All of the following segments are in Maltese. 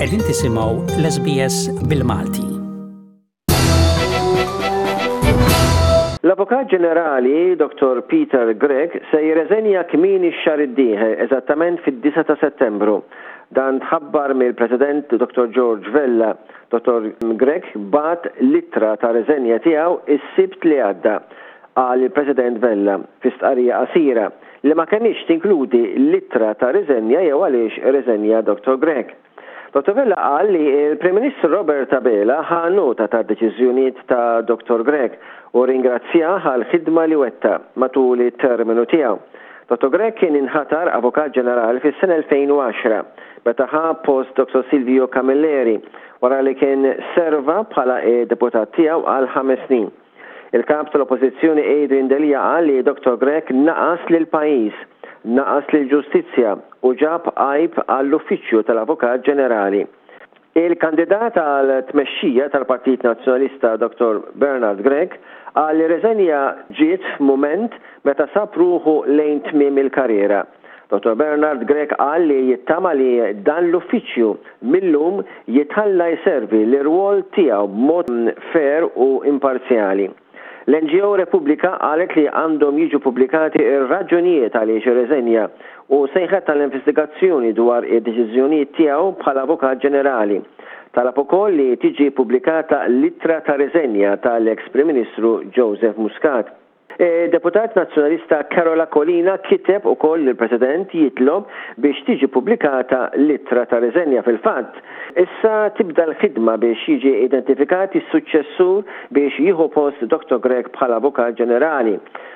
Qegħdin tisimgħu l-SBS bil-Malti. L-Avukat Ġenerali Dottor Peter Grech se jirreżenja kmieni x-xahar id-dieħel, eżattament fid-disgħa ta' Settembru. Dan tħabbar mill-President Dottor George Vella. Dottor Grech bagħat l-ittra ta' reżenja tiegħu s-Sibt li għadda, qal il-President Vella fi stqarrija qasira li ma kenitx tinkludi l-ittra ta' riżenja jew għaliex irreżenja Dottor Grech. Dottor Vella qal li l-Prim Ministru Robert Abela ħa nota tad-deċiżjonijiet ta' Dottor Grech u rringrazzjah għall-ħidma li wettaq matul it-terminu tiegħu. Dottor Grech kien inħatar Avukat Ġenerali fis-sena 2010 meta ħa post Dottor Silvio Camilleri wara li kien serva bħala deputat tiegħu għal ħames snin. Il-Kap tal-Oppożizzjoni Adrian Delia qal li Dottor Grech naqas lill-pajjiż, naqas lill-ġustizzja u ġab għajb għall-Uffiċċju tal-Avukat Ġenerali. Il-kandidat għal tmexxija tal-Partit Nazzjonalista Dottor Bernard Grech qal li r-reżenja ġiet f'mument meta sab ruħu lejn tmiem il-karriera. Dottor Bernard Grech qal li jittama li dan l-uffiċċju mil-lum jitħalla jservi l-irwol tiegħu b'mod fair u imparzjali. L-NGO Repubblika qalet li għandhom jiġu pubblikati r-raġunijiet għaliex irreżenja u sejħet għal investigazzjoni dwar id-deċiżjonijiet tiegħu bħala Avukat Ġenerali. Talab ukoll li tiġi ppubblikata l-ittra ta' riżenja tal-eks Prim Ministru Joseph Muscat. Id-deputat Nazzjonalista Karol Aquilina kiteb ukoll lill-President jitlob biex tiġi ppubblikata l-ittra ta' riżenja. Fil-fatt, issa tibda l-ħidma biex jiġi identifikat is-suċċessur biex jieħu post Dottor Grech bħala Avukat Ġenerali.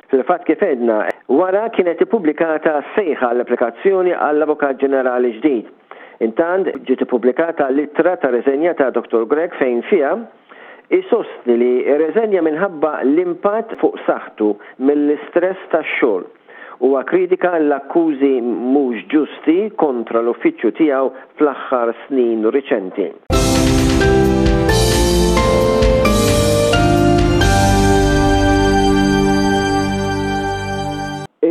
Fil-fatt kif għedna, wara kienet ippubblikata sejħa għall-applikazzjoni għall-Avukat Ġenerali ġdid. Intant, ġiet ippubblikata l-ittra ta' riżenja ta' Dottor Grech fejn fiha, Isostni li rreżenja minħabba l-impatt fuq saħħtu mill-istress tax-xogħol. Huwa kkritika l-akkużi mhux ġusti kontra l-uffiċċju tiegħu fl-aħħar snin riċenti.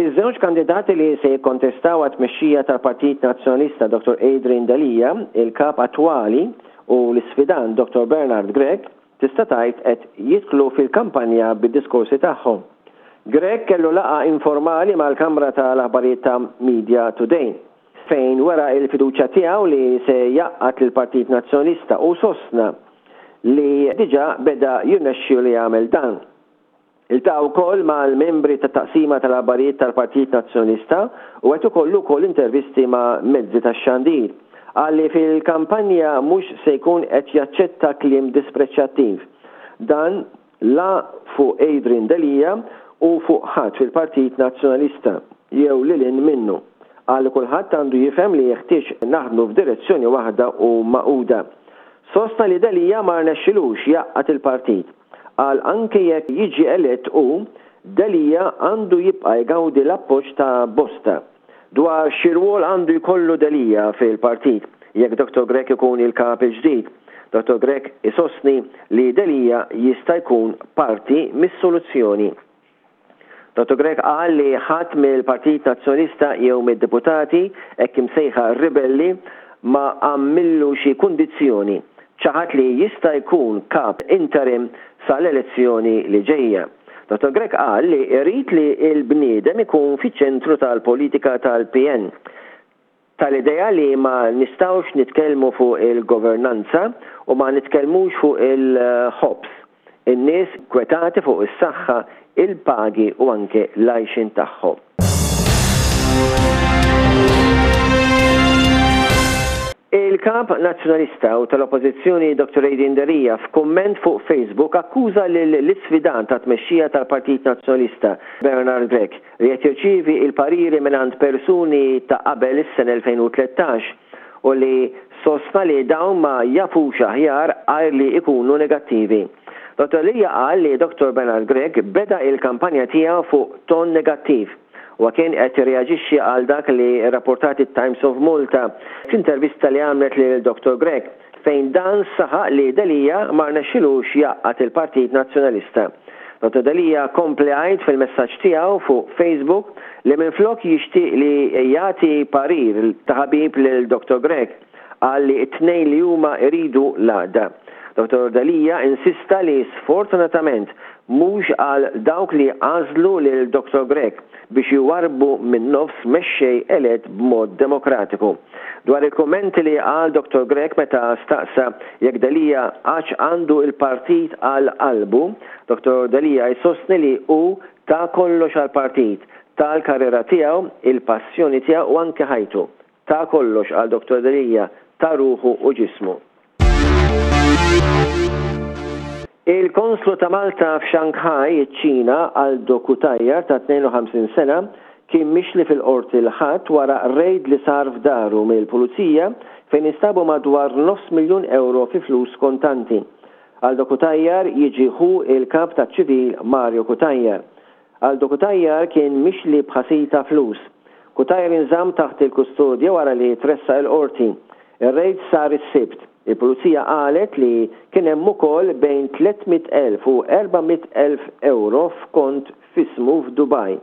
Iż-żewġ kandidati li se jikkontestaw għat-tmexxija tal-Partit Nazzjonalista Dottor Adrian Delia, il-Kap attwali, U l-isfidant Dottor Bernard Grech tista' tgħid qed jidħlu fil-kampanja bid-diskorsi tagħhom. Grech kellu laqgħa informali mal-kamra ta' l-aħbarijiet ta' Media Today, fejn wera l-fiduċja tiegħu li se jgħaqqad lill-Partit Nazzjonalista u sostna li diġà beda jirnexxielu jagħmel dan. Iltaqa' wkoll mal-membri tat-Taqsima tal-Aħbarijiet tal-Partit Nazzjonalista u qed ikollu wkoll intervisti ma' mezzi tax-xandir. Qal li fil-kampanja mhux se jkun qed jaċċetta kliem dispreċjattiv. Dan la fuq Adrian Delia u fuq ħadd fil-Partit Nazzjonalista jew lil hinn minnu. Qal li kulħadd għandu jifhem li jeħtieġ naħdmu f'direzzjoni waħda u magħquda. Sostna li Delia ma rnexxilux jgħaqqad il-partit. Qal anke jekk jiġi elett hu, Delia għandu jibqa' jgawdi l-appoġġ ta' bosta. Dwar xi rwol għandu jkollu Delia fil-partit jekk Dottor Grech ikun il-Kap il-ġdid, Dottor Grech isostni li Delia jista' jkun parti mis-soluzzjoni. Dottor Grech qal li ħadd mill-Partit Nazzjonalista jew mid-deputati hekk imsejħa ribelli ma għamillu xi kundizzjoni. Ċaħad li jista' jkun kap interim sal-elezzjoni li ġejja. Dottor Grech qal li jrid li l-bniedem ikun fiċ-ċentru tal-politika tal-PN. Tal-idea li ma nistgħux nitkellmu fuq il-governanza u ma nitkellmux fuq il-ħobż, in-nies nkwetati fuq is-saħħa, il-pagi u anke l-għajxien tagħhom. Il-Kap Nazzjonalista u tal-Oppożizzjoni Dottor Adrian Delia f'kumment fuq Facebook akkuża lill-isfidant għat-tmexxija tal-Partit Nazzjonalista, Bernard Grech, li qed jirċievi l-pariri mingħand persuni ta' qabel is-sena 2013 u li sostna li dawn ma jafux aħjar għajr li jkunu negattivi. Dottor Lia qal li Dottor Bernard Grech beda il-kampanja tiegħu fuq ton negattiv. Huwa kien qed jirreaġixxi għal dak li rrapportat it-Times of Malta f'intervista li għamlet lil Dottor Grech fejn dan saħaq li Delia ma rnexxilux jgħaqqad il-Partit Nazzjonalista. Dottor Delia kompla jgħid fil-messaġġ tiegħu fuq Facebook li minflok jixtieq li jagħti parir ta' ħabib lil Dottor Grech. Qal li t-tnejn li huma jridu l-għaqda. Dottor Delia insista li sfortunatament mhux għal dawk li għażlu lil Dottor Grech biex iwarrbu min-nofs mexxej elett b'mod demokratiku. Dwar il-kummenti li qal Dottor Grech meta staqsa jekk Delia għadx għandu l-partit għal qalbu, Dottor Delia jsostni li hu ta kollox għall-partit, ta l-karriera tiegħu, il-passjoni tiegħu u anke ħajtu. Ta kollox għal Dottor Delia, ta ruħu u ġismu. Il-Konslu ta' Malta f'Shanghai, iċ-Ċina, Aldo Cutajar ta' 52 sena, kien mixli fil-Qorti l-Ħadd wara rejd li sar f'daru mill-Pulizija fejn instabu madwar nofs miljun ewro fi flus kontanti. Aldo Cutajar jiġi ħu il-Kap taċ-Ċivil Mario Cutajar. Aldo Cutajar kien mixli b'ħasil ta' flus. Cutajar inżamm taħt il-kustodja wara li tressaq il-Qorti. Ir-rejd sar is-Sibt. Il-Pulizija qalet li kien hemm ukoll bejn 300,000 u 400,000 ewro f'kont f'ismu f'Dubaj.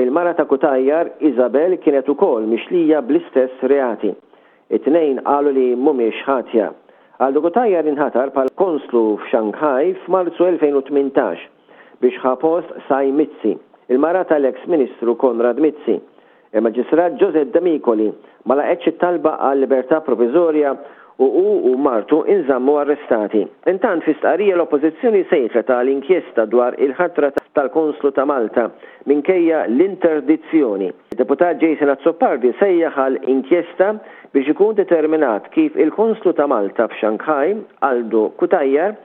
Il-mara ta' Cutajar, Isabel, kienet ukoll mixlija bl-istess reati. It-tnejn qalu li mhumiex ħatja. Aldo Cutajar inħatar bħala Konslu f'Shanghai f'Marzu 2018 biex ħa post Sai Mizzi, il-mara tal-eks Ministru Konrad Mizzi. Il-Maġistrat Josette Demicoli ma laqgħetx it-talba għal libertà proviżorja u hu u martu inżammu arrestati. Intant fi stqarrija l-Oppożizzjoni sejħet għal inkjesta dwar il-ħatra tal-Konslu ta' Malta minkejja l-interdizzjoni. Id-Deputat Jason Azzopardi sejjaħ għal inkjesta biex ikun determinat kif il-Konslu ta' Malta f'Shanghai, Aldo Cutajar,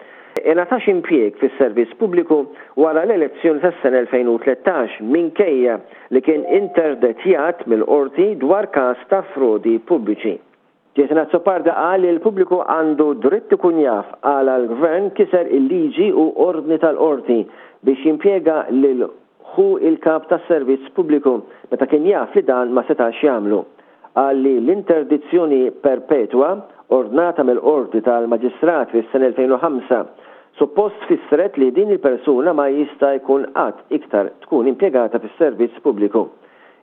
ingħatax impjieg fis-servizz pubbliku wara l-elezzjoni tas-sena 2013 minkejja li kien interdettjat mill-Qorti dwar każ ta' frodi pubbliċi. Jason Azzopardi qal li l-pubbliku għandu dritt ikun jaf għala l-Gvern kiser il-liġi u ordni tal-Qorti biex jimpjega lil ħu il-Kap tas-Servizz Pubbliku meta kien jaf li dan ma setax jagħmlu. Qal li l-interdizzjoni perpetwa ordnata mill-Qorti tal-Maġistrat fis-sena 2005 suppost fissret li din il-persuna ma jista' jkun qatt iktar tkun impjegata fis-Servizz Pubbliku.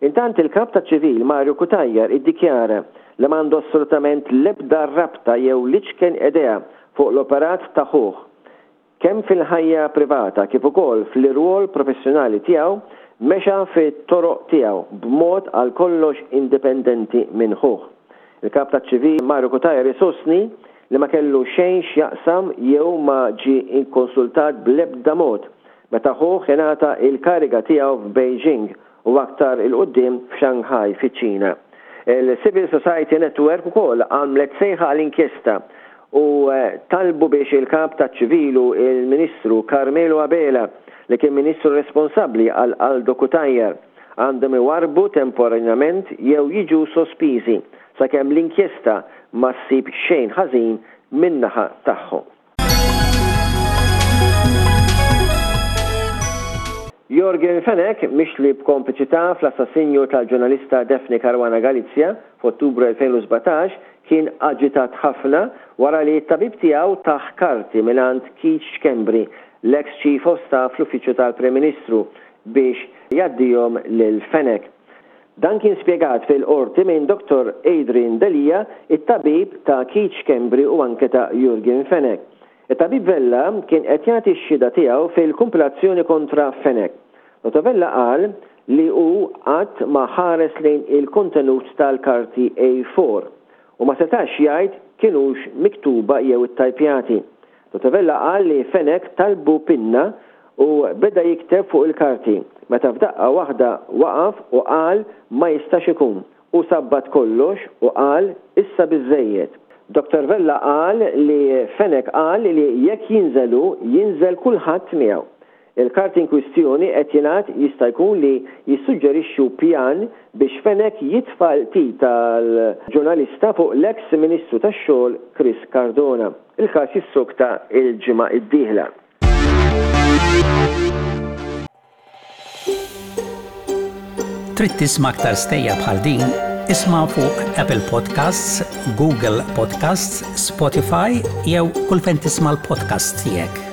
Intant il-Kap taċ-Ċivil Mario Cutajar iddikjara li m'għandu assolutament l-ebda rabta jew l-iċken idea fuq l-operat ta' ħuh. Kemm fil-ħajja privata kif ukoll fl-irwol professjonali tiegħu mexa fit-toroq tiegħu b'mod għal kollox indipendenti minn ħuh. Il-Kap taċ-Ċivil Mario Cutajar isostni li ma kellu xejn x'jaqsam jew ma ġie ikkonsultat bl-ebda mod meta ħuh ingħata l-kariga tiegħu f'Beijing u aktar 'il quddiem f'Shanghai fiċ-Ċina. Il-Civil Society Network ukoll għamlet sejħa għal inkjesta u talbu biex il-Kap taċ-Ċivil u l-Ministru Carmelo Abela, li kien Ministru responsabbli għal Aldo Cutajar, għandhom iwarrbu temporanjament jew jiġu sospiżi sakemm l-inkjesta ma ssib xejn ħażin min-naħa tagħhom. Yorgen Fenech, mixli b'kompliċità fl-assassinju tal-ġurnalista Daphne Caruana Galizia f'Ottubru 2017, kien aġitat ħafna wara li t-tabib tiegħu tah karti mingħand Keith Schembri, l-eks Chief of Staff fl-Uffiċċju tal-Prim Ministru, biex jgħaddihom lil Fenech. Dan kien spjegat fil-Qorti minn Dottor Adrian Delia, it-tabib ta' Keith Schembri u anke ta' Yorgen Fenech. It-tabib Vella kien qed jagħti x-xhieda tiegħu fil-kumpilazzjoni kontra Fenech. Dottor Vella qal li hu qatt ma ħares lejn il-kontenut tal-karti A4 u ma setax jgħid kinux miktuba jew ittajpjati. Dottor Vella qal li Fenech talbu pinna u beda jikteb fuq il-karti meta f'daqqa waħda waqaf u qal ma jistax ikun. Hu sabbat kollox u qal issa biżżejjed. Dottor Vella qal li Fenech qal li jekk jinżel hu, jinżel kulħadd miegħu. Il-karti inkwistjoni qed jingħad jista' jkun li jissuġġerixxu pjan biex Fenech jitfa' l-qtil tal-ġurnalista fuq l-eks Ministru tax-Xogħol Chris Cardona. Il-każ jissokta l-ġimgħa d-dieħla. Trid tisma' aktar stejjer bħal din? Isma' fuq Apple Podcasts, Google Podcasts, Spotify jew kull fejn tisma' l-podcasts tiegħek.